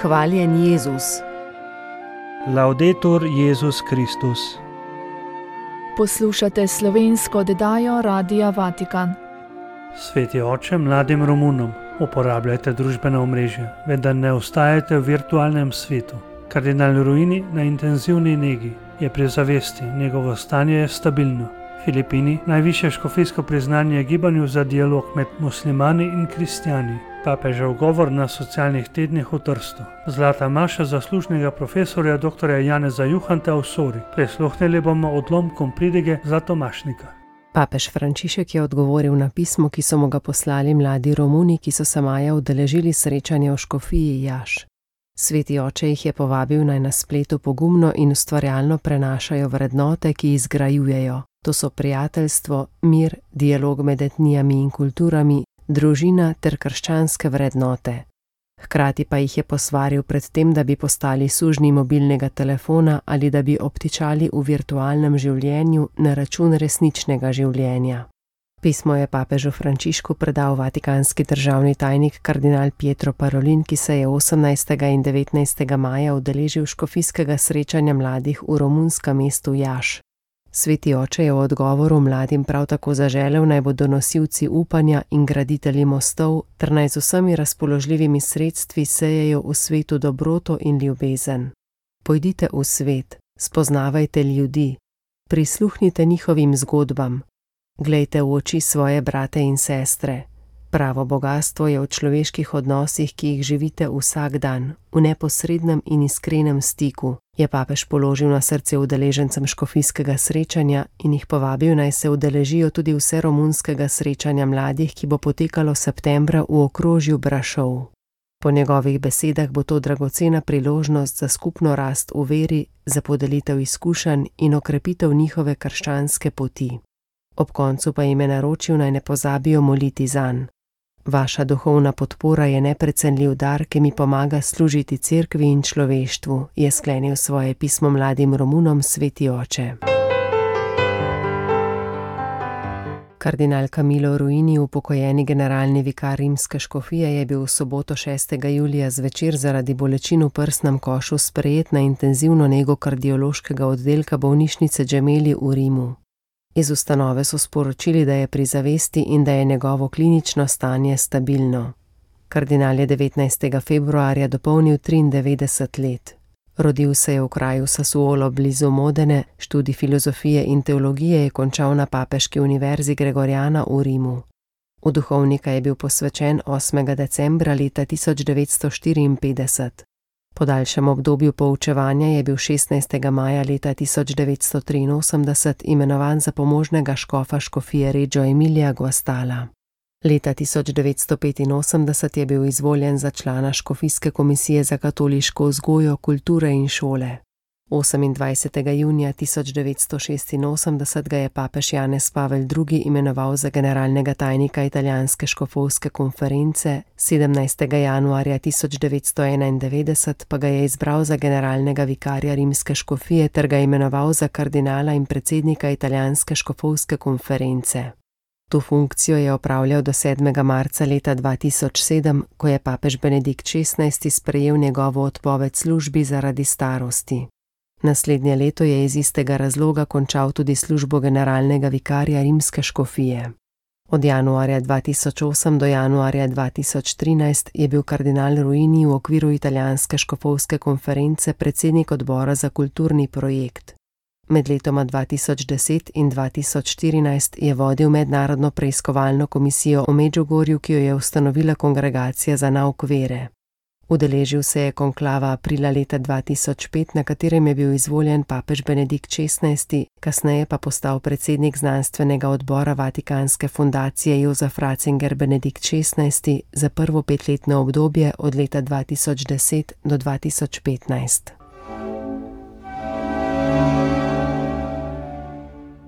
Hvaljen Jezus. Laudetur Jezus Kristus. Poslušate slovensko oddajo Radia Vatikan. Sveti oče mladim Romunom, uporabljajte družbena omrežja, vendar ne ostajajte v virtualnem svetu. Kardinal Ruini na intenzivni negi je pri zavesti, njegovo stanje je stabilno. Filipini, najvišje škofijsko priznanje gibanju za dialog med muslimani in kristjani. Papežev govor na socialnih tednih v Trstu. Zlata maša zaslužnega profesorja dr. Janeza Juhanta v Sori. Prisluhnili bomo odlomkom pridige Zlatomašnika. Papež Frančišek je odgovoril na pismo, ki so mu ga poslali mladi Romuni, ki so se maja udeležili srečanja v škofiji Jaš. Sveti oče jih je povabil, naj na spletu pogumno in ustvarjalno prenašajo vrednote, ki izgrajujejo. To so prijateljstvo, mir, dialog med etnijami in kulturami, družina ter krščanske vrednote. Hkrati pa jih je posvaril pred tem, da bi postali sužnji mobilnega telefona ali da bi obtičali v virtualnem življenju na račun resničnega življenja. Pismo je papežu Frančišku predal vatikanski državni tajnik kardinal Pietro Parolin, ki se je 18. in 19. maja udeležil škofijskega srečanja mladih v romunskem mestu Jaš. Sveti oče je v odgovoru mladim prav tako zaželel, naj bodo nosilci upanja in graditelji mostov, ter naj z vsemi razpoložljivimi sredstvi sejejo v svetu dobroto in ljubezen. Pojdite v svet, spoznavajte ljudi, prisluhnite njihovim zgodbam, glejte v oči svoje brate in sestre. Pravo bogastvo je v človeških odnosih, ki jih živite vsak dan, v neposrednem in iskrenem stiku, je papež položil na srce udeležencem škofijskega srečanja in jih povabil, naj se udeležijo tudi vse romunskega srečanja mladih, ki bo potekalo septembra v okrožju Brašov. Po njegovih besedah bo to dragocena priložnost za skupno rast v veri, za podelitev izkušenj in okrepitev njihove krščanske poti. Ob koncu pa jim je naročil, naj ne pozabijo moliti zanj. Vaša duhovna podpora je neprecenljiv dar, ki mi pomaga služiti cerkvi in človeštvu, je sklenil svoje pismo mladim Romunom sveti oče. Kardinal Camillo Ruini, upokojeni generalni vikar rimske škofije, je bil v soboto 6. julija zvečer zaradi bolečin v prsnem košu sprejet na intenzivno nego kardiološkega oddelka bolnišnice Gemelli v Rimu. Iz ustanove so sporočili, da je pri zavesti in da je njegovo klinično stanje stabilno. Kardinal je 19. februarja dopolnil 93 let. Rodil se je v kraju Sassuolo blizu Modene, študij filozofije in teologije je končal na Papeški univerzi Gregoriana v Rimu. V duhovnika je bil posvečen 8. decembra leta 1954. Po daljšem obdobju poučevanja je bil 16. maja leta 1983 imenovan za pomožnega škofa škofije Reggio Emilia Guastalla. Leta 1985 je bil izvoljen za člana škofijske komisije za katoliško vzgojo, kulture in šole. 28. junija 1986 ga je papež Janez Pavel II. Imenoval za generalnega tajnika italijanske škofovske konference, 17. januarja 1991 pa ga je izbral za generalnega vikarja rimske škofije ter ga imenoval za kardinala in predsednika italijanske škofovske konference. To funkcijo je opravljal do 7. marca leta 2007, ko je papež Benedikt XVI. Sprejel njegovo odpoved službi zaradi starosti. Naslednje leto je iz istega razloga končal tudi službo generalnega vikarja rimske škofije. Od januarja 2008 do januarja 2013 je bil kardinal Ruini v okviru italijanske škofovske konference predsednik odbora za kulturni projekt. Med letoma 2010 in 2014 je vodil mednarodno preiskovalno komisijo o Medžugorju, ki jo je ustanovila Kongregacija za nauk vere. Udeležil se je konklava aprila leta 2005, na katerem je bil izvoljen papež Benedikt XVI., kasneje pa postal predsednik znanstvenega odbora Vatikanske fundacije Josef Ratzinger Benedikt XVI. Za prvo 5-letno obdobje od leta 2010 do 2015.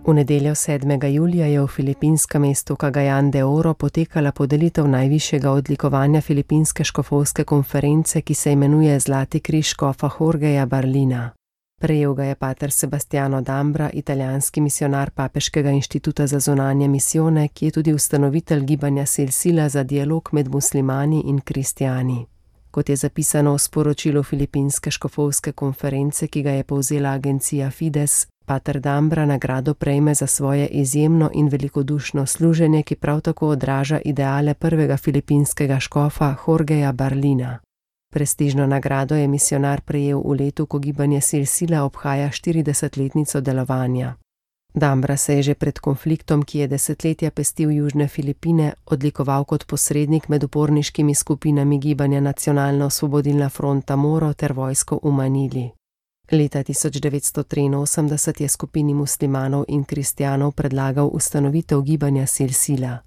V nedeljo 7. julija je v filipinskem mestu Cagayan de Oro potekala podelitev najvišjega odlikovanja filipinske škofovske konference, ki se imenuje Zlati križ škofa Jorgeja Barlina. Prejel ga je pater Sebastiano Dambra, italijanski misionar Papeškega inštituta za zunanje misijone, ki je tudi ustanovitelj gibanja Silsila za dialog med muslimani in kristjani. Kot je zapisano v sporočilu Filipinske škofovske konference, ki ga je povzela agencija Fides, pater Dambra nagrado prejme za svoje izjemno in velikodušno služenje, ki prav tako odraža ideale prvega filipinskega škofa Jorgeja Barlina. Prestižno nagrado je misionar prejel v letu, ko gibanje Silsila obhaja 40-letnico delovanja. Dambra se je že pred konfliktom, ki je desetletja pestil južne Filipine, odlikoval kot posrednik med uporniškimi skupinami gibanja Nacionalno-osvobodilna fronta Moro ter vojsko v Manili. Leta 1983 je skupini muslimanov in kristjanov predlagal ustanovitev gibanja Silsila.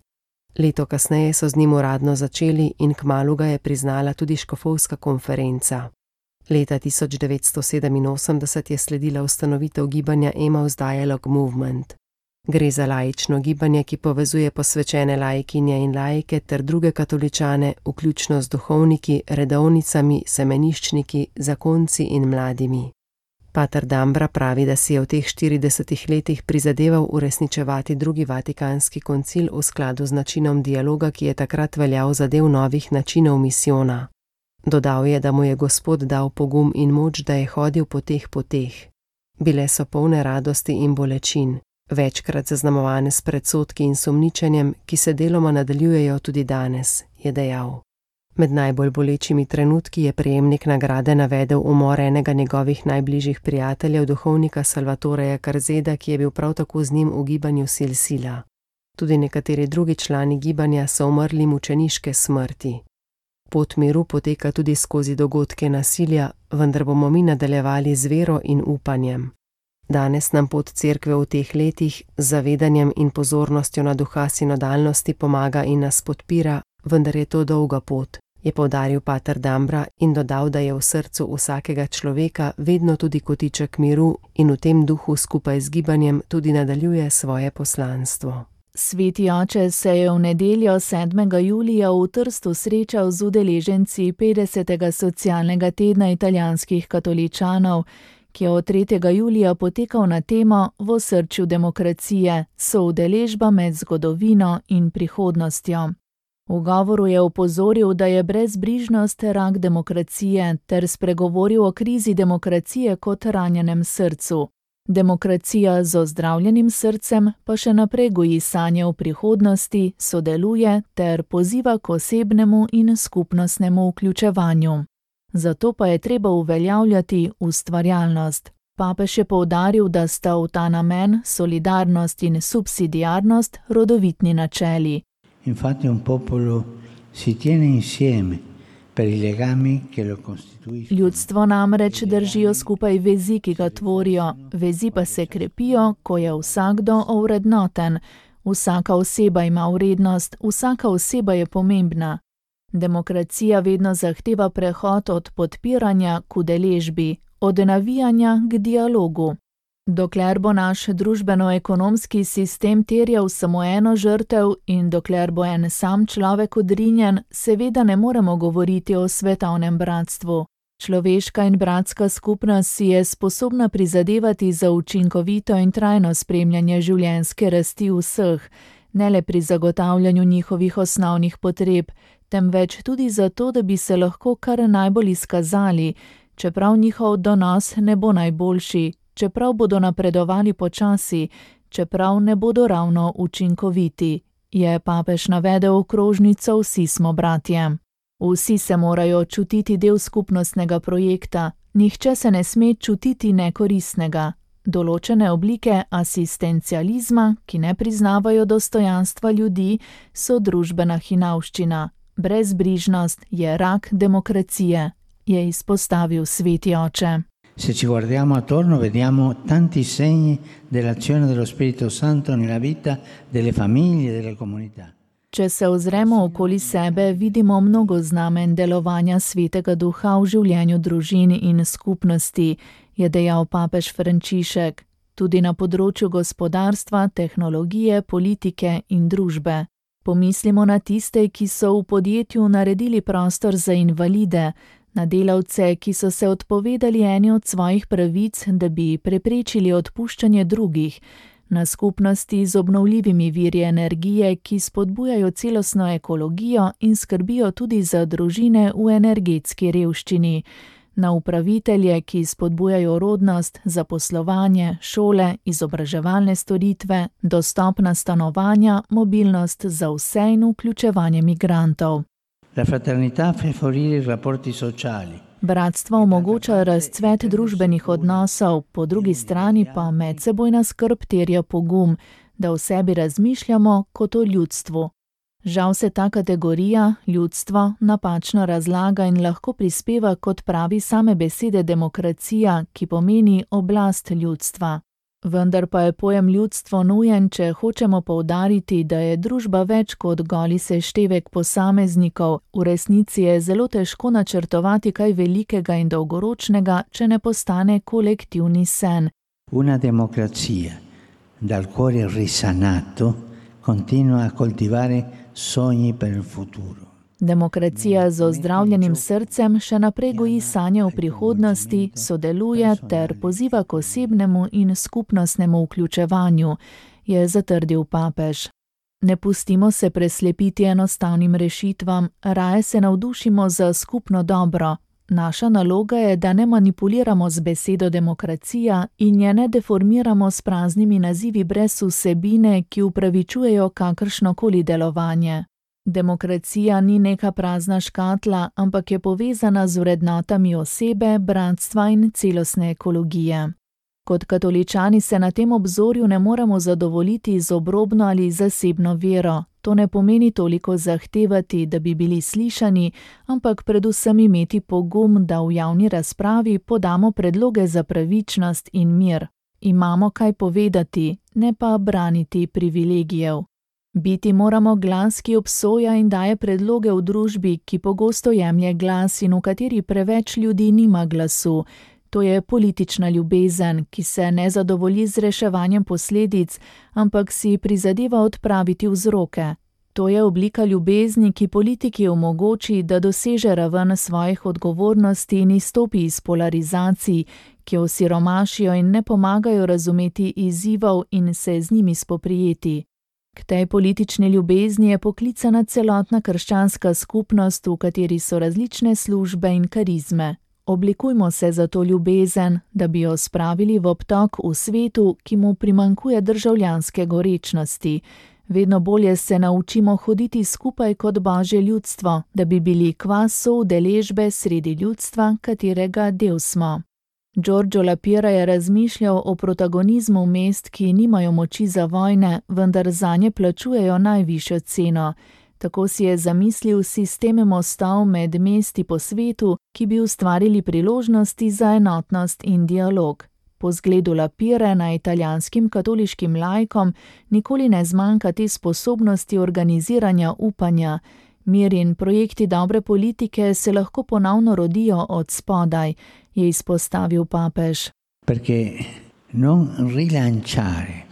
Leto kasneje so z njim uradno začeli in kmalu ga je priznala tudi škofovska konferenca. Leta 1987 je sledila ustanovitev gibanja Emmaus Dialogue Movement. Gre za laično gibanje, ki povezuje posvečene laikinje in laike ter druge katoličane, vključno z duhovniki, redovnicami, semeniščniki, zakonci in mladimi. Pater Dambra pravi, da si je v teh 40 letih prizadeval uresničevati drugi vatikanski koncil v skladu z načinom dialoga, ki je takrat veljal za del novih načinov misijona. Dodal je, da mu je Gospod dal pogum in moč, da je hodil po teh poteh. Bile so polne radosti in bolečin, večkrat zaznamovane s predsodki in sumničenjem, ki se deloma nadaljujejo tudi danes, je dejal. Med najbolj bolečimi trenutki je prejemnik nagrade navedel umor enega njegovih najbližjih prijateljev, duhovnika Salvatoreja Karzeda, ki je bil prav tako z njim v gibanju Silsila. Tudi nekateri drugi člani gibanja so umrli mučeniške smrti. Pot miru poteka tudi skozi dogodke nasilja, vendar bomo mi nadaljevali z vero in upanjem. Danes nam pot cerkve v teh letih z zavedanjem in pozornostjo na duha sinodalnosti pomaga in nas podpira, vendar je to dolga pot, je poudaril pater Dambra in dodal, da je v srcu vsakega človeka vedno tudi kotiček miru in v tem duhu skupaj z gibanjem tudi nadaljuje svoje poslanstvo. Sveti oče se je v nedeljo 7. julija v Trstu srečal z udeleženci 50. socialnega tedna italijanskih katoličanov, ki je od 3. julija potekal na temo V osrčju demokracije, soudeležba med zgodovino in prihodnostjo. V govoru je opozoril, da je brezbrižnost rak demokracije ter spregovoril o krizi demokracije kot ranjenem srcu. Demokracija z ozdravljenim srcem pa še naprej goji sanje o prihodnosti, sodeluje ter poziva k osebnemu in skupnostnemu vključevanju. Zato pa je treba uveljavljati ustvarjalnost. Papež je poudaril, da sta v ta namen solidarnost in subsidiarnost rodovitni načeli. Infatti un popolo si tiene insieme per i legami che lo costituiscono. Ljudstvo namreč držijo skupaj vezi, ki ga tvorijo, vezi pa se krepijo, ko je vsakdo ovrednoten. Vsaka oseba ima vrednost, vsaka oseba je pomembna. Demokracija vedno zahteva prehod od podpiranja k udeležbi, od navijanja k dialogu. Dokler bo naš družbeno-ekonomski sistem terjal samo eno žrtev in dokler bo en sam človek odrinjen, seveda ne moremo govoriti o svetovnem bratstvu. Človeška in bratska skupnost si je sposobna prizadevati za učinkovito in trajno spremljanje življenjske rasti vseh, ne le pri zagotavljanju njihovih osnovnih potreb, temveč tudi zato, da bi se lahko kar najbolj izkazali, čeprav njihov donos ne bo najboljši, čeprav bodo napredovali počasi, čeprav ne bodo ravno učinkoviti, je papež navedel okrožnico Vsi smo bratje. Vsi se morajo čutiti del skupnostnega projekta, nihče se ne sme čutiti nekoristnega. Določene oblike asistencializma, ki ne priznavajo dostojanstva ljudi, so družbena hinavščina. Brezbrižnost je rak demokracije, je izpostavil sveti oče. Se ci guardiamo attorno vediamo tanti segni dell'azione dello Spirito Santo nella vita delle famiglie e delle comunità. Če se ozremo okoli sebe, vidimo mnogo znamen delovanja Svetega Duha v življenju družin in skupnosti, je dejal papež Frančišek, tudi na področju gospodarstva, tehnologije, politike in družbe. Pomislimo na tiste, ki so v podjetju naredili prostor za invalide, na delavce, ki so se odpovedali eni od svojih pravic, da bi preprečili odpuščanje drugih, na skupnosti z obnovljivimi viri energije, ki spodbujajo celostno ekologijo in skrbijo tudi za družine v energetski revščini, na upravitelje, ki spodbujajo rodnost, zaposlovanje, šole, izobraževalne storitve, dostopna stanovanja, mobilnost za vse in vključevanje migrantov. La fraternità fa favorire i rapporti sociali. Bratstvo omogoča razcvet družbenih odnosov, po drugi strani pa medsebojna skrb terja pogum, da o sebi razmišljamo kot o ljudstvu. Žal se ta kategorija, ljudstvo, napačno razlaga in lahko prispeva, kot pravi same besede, demokracija, ki pomeni oblast ljudstva. Vendar pa je pojem ljudstvo nujen, če hočemo poudariti, da je družba več kot goli seštevek posameznikov, v resnici je zelo težko načrtovati kaj velikega in dolgoročnega, če ne postane kolektivni sen. Una democrazia dal cuore risanato continua a coltivare sogni per il futuro. Demokracija z ozdravljenim srcem še naprej goji sanje o prihodnosti, sodeluje ter poziva k osebnemu in skupnostnemu vključevanju, je zatrdil papež. Ne pustimo se preslepiti enostavnim rešitvam, raje se navdušimo za skupno dobro. Naša naloga je, da ne manipuliramo z besedo demokracija in je ne deformiramo s praznimi nazivi brez vsebine, ki upravičujejo kakršnokoli delovanje. Demokracija ni neka prazna škatla, ampak je povezana z vrednotami osebe, bratstva in celostne ekologije. Kot katoličani se na tem obzorju ne moremo zadovoljiti z obrobno ali zasebno vero. To ne pomeni toliko zahtevati, da bi bili slišani, ampak predvsem imeti pogum, da v javni razpravi podamo predloge za pravičnost in mir. Imamo kaj povedati, ne pa braniti privilegijev. Biti moramo glas, ki obsoja in daje predloge v družbi, ki pogosto jemlje glas in v kateri preveč ljudi nima glasu. To je politična ljubezen, ki se ne zadovolji z reševanjem posledic, ampak si prizadeva odpraviti vzroke. To je oblika ljubezni, ki politiki omogoči, da doseže raven svojih odgovornosti in izstopi iz polarizacij, ki osiromašijo in ne pomagajo razumeti izzivov in se z njimi spoprijeti. K tej politični ljubezni je poklicana celotna krščanska skupnost, v kateri so različne službe in karizme. Oblikujmo se za to ljubezen, da bi jo spravili v obtok v svetu, ki mu primanjkuje državljanske gorečnosti. Vedno bolje se naučimo hoditi skupaj kot Božje ljudstvo, da bi bili kvas soudeležbe sredi ljudstva, katerega del smo. Giorgio La Pira je razmišljal o protagonizmu mest, ki nimajo moči za vojne, vendar zanje plačujejo najvišjo ceno. Tako si je zamislil sisteme mostov med mesti po svetu, ki bi ustvarili priložnosti za enotnost in dialog. Po zgledu La Pire na italijanskim katoliškim laikom nikoli ne zmanjka te sposobnosti organiziranja upanja. Mir in projekti dobre politike se lahko ponovno rodijo od spodaj, je izpostavil papež. Perché non rilanciare,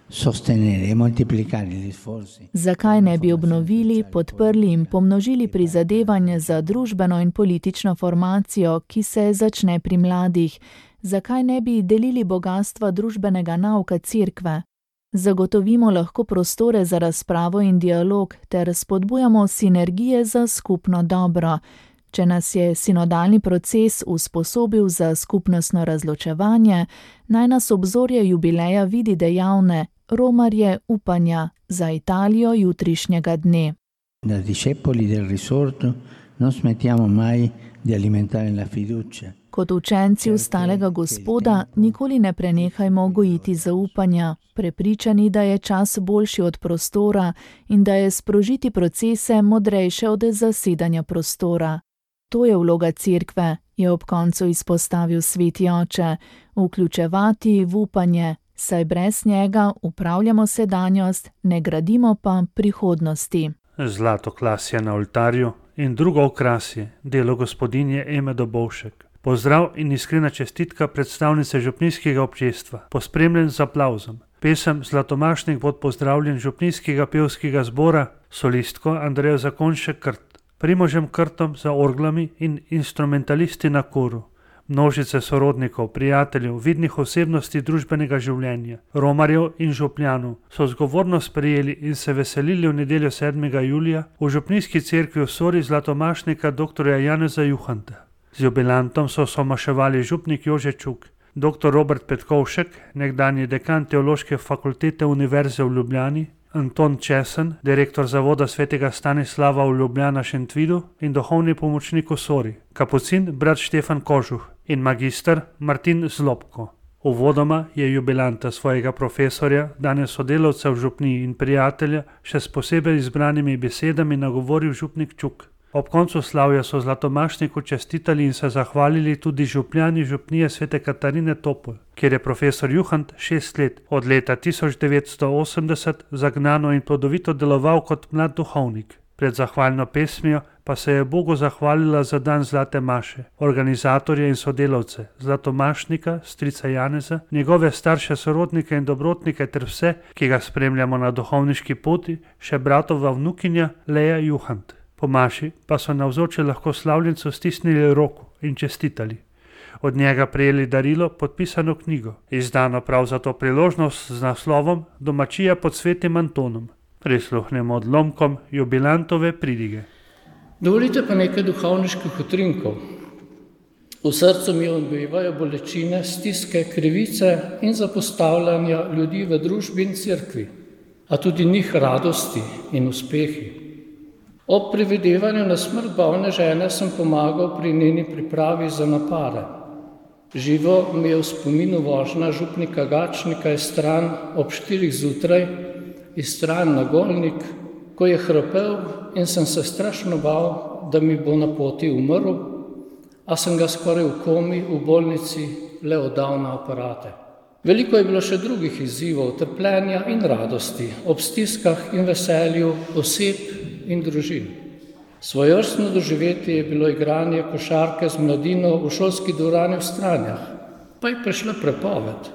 sostenere e moltiplicare gli sforzi. Zakaj ne bi obnovili, podprli in pomnožili prizadevanje za družbeno in politično formacijo, ki se začne pri mladih? Zakaj ne bi delili bogastva družbenega nauka cerkve? Zagotovimo lahko prostore za razpravo in dialog ter spodbujamo sinergije za skupno dobro. Če nas je sinodalni proces usposobil za skupnostno razločevanje, naj nas obzorje jubileja vidi dejavne, romarje upanja za Italijo jutrišnjega dne. Da discepoli del risorto non smettiamo mai di alimentare la fiducia. Kot učenci ustalega Gospoda nikoli ne prenehajmo gojiti zaupanja, prepričani, da je čas boljši od prostora in da je sprožiti procese modrejše od zasedanja prostora. To je vloga cerkve, je ob koncu izpostavil sveti oče, vključevati v upanje, saj brez njega upravljamo sedanjost, ne gradimo pa prihodnosti. Zlato klasje na oltarju in drugo okrasje, delo gospodinje Eme Dobovšek. Pozdrav in iskrena čestitka predstavnice župnijskega občestva, pospremljen z aplavzom. Pesem Zlatomašnik pod pozdravljen župnijskega pevskega zbora, solistko Andrejo Zakonšek Krt, Primožem Krtom za orglami in instrumentalisti na koru, Množice sorodnikov, prijateljev, vidnih osebnosti družbenega življenja, romarjev in župljanov so zgovorno sprejeli in se veselili v nedeljo 7. julija v župnijski cerkvi v Sori zlatomašnika dr. Janeza Juhanta. Z jubilantom so somaševali župnik Jože Čuk, dr. Robert Petkovšek, nekdanji dekan Teološke fakultete Univerze v Ljubljani, Anton Česen, direktor zavoda svetega Stanislava v Ljubljana Šentvidu in duhovni pomočnik v Sori, kapucin brat Štefan Kožuh in magister Martin Zlobko. Uvodoma je jubilanta svojega profesorja, danes sodelavca v župniji in prijatelja, še s posebej izbranimi besedami nagovoril župnik Čuk. Ob koncu slavja so zlatomašniku čestitali in se zahvalili tudi župljani župnije svete Katarine Topol, kjer je profesor Juhant 6 let, od leta 1980, zagnano in plodovito deloval kot mlad duhovnik. Pred zahvalno pesmijo pa se je Bogu zahvalila za dan Zlate maše, organizatorje in sodelavce, zlatomašnika, strica Janeza, njegove starše, sorodnike in dobrotnike ter vse, ki ga spremljamo na duhovniški poti, še bratova vnukinja Leja Juhant. Po maši pa so navzoči lahko slavljencu stisnili roko in čestitali. Od njega prejeli darilo, podpisano knjigo, izdano prav za to priložnost z naslovom Domačija pod svetim Antonom. Prisluhnemo odlomkom jubilantove pridige. Dovolite pa nekaj duhovniških utrinkov. V srcu mi odbivajo bolečine, stiske, krivice in zapostavljanja ljudi v družbi in cerkvi, a tudi njih radosti in uspehi. Ob predvidevanju na smrt bolne žene sem pomagal pri njeni pripravi za napare. Živo mi je v spominu vožnja župnika Gačnika iz Stran ob 4 zjutraj, iz Stran na Golnik, ko je hrapel in sem se strašno bal, da mi bo na poti umrl, a sem ga skoraj v komi v bolnici le oddal na aparate. Veliko je bilo še drugih izzivov, trpljenja in radosti, ob stiskah in veselju oseb in družin. Svojevrstno doživetje je bilo igranje košarke z mladino v šolski dvorani v Stranjah, pa je prišla prepoved.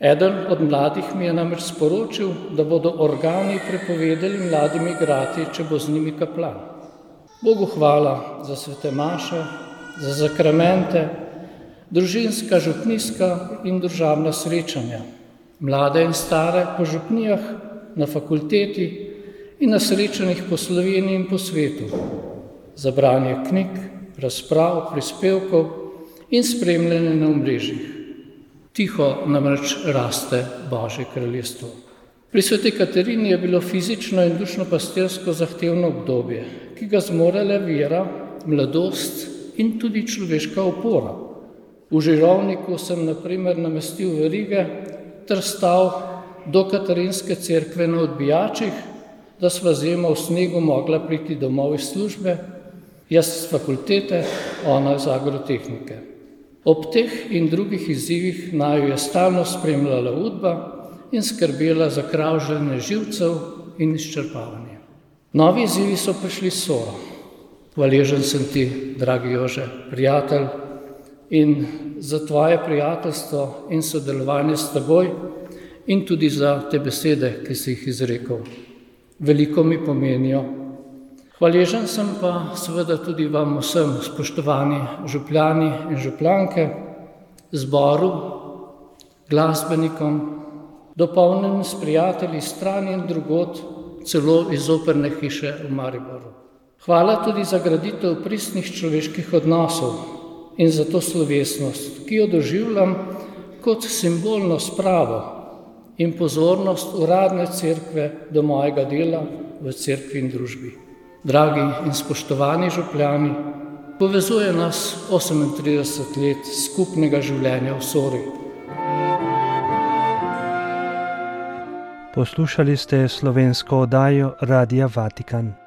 Eden od mladih mi je namreč sporočil, da bodo organi prepovedali mladim igrati, če bo z njimi kaplan. Bogu hvala za svete maše, za zakramente, družinska, župnijska in družabna srečanja, mlade in stare po župnijah, na fakulteti in na srečanjih po Sloveniji in po svetu, za branje knjig, razprav, prispevkov in spremljanje na omrežjih. Tiho namreč raste Božje kraljestvo. Pri sveti Katarini je bilo fizično in dušno-pastirsko zahtevno obdobje, ki ga zmorele vera, mladost in tudi človeška opora. V Žirovniku sem na primer namestil verige ter stal do Katarinske cerkve na odbijačih, da sva zima v snegu mogla priti domov iz službe, jaz z fakultete, ona iz agrotehnike. Ob teh in drugih izzivih naju je stalno spremljala udba in skrbela za kravžljanje živcev in izčrpavanje. Novi izzivi so prišli s Soro. Hvaležen sem ti, dragi Jože, prijatelj, in za tvoje prijateljstvo in sodelovanje s teboj in tudi za te besede, ki si jih izrekel. Veliko mi pomenijo. Hvaležen sem pa seveda tudi vam vsem, spoštovani župljani in župljanke, zboru, glasbenikom, dopolnjenim s prijatelji Stran in drugod, celo iz operne hiše v Mariboru. Hvala tudi za graditev pristnih človeških odnosov in za to slovesnost, ki jo doživljam kot simbolno spravo in pozornost uradne cerkve do mojega dela v cerkvi in družbi. Dragi in spoštovani župljani, povezuje nas 38 let skupnega življenja v Sori. Poslušali ste slovensko oddajo Radia Vatikan.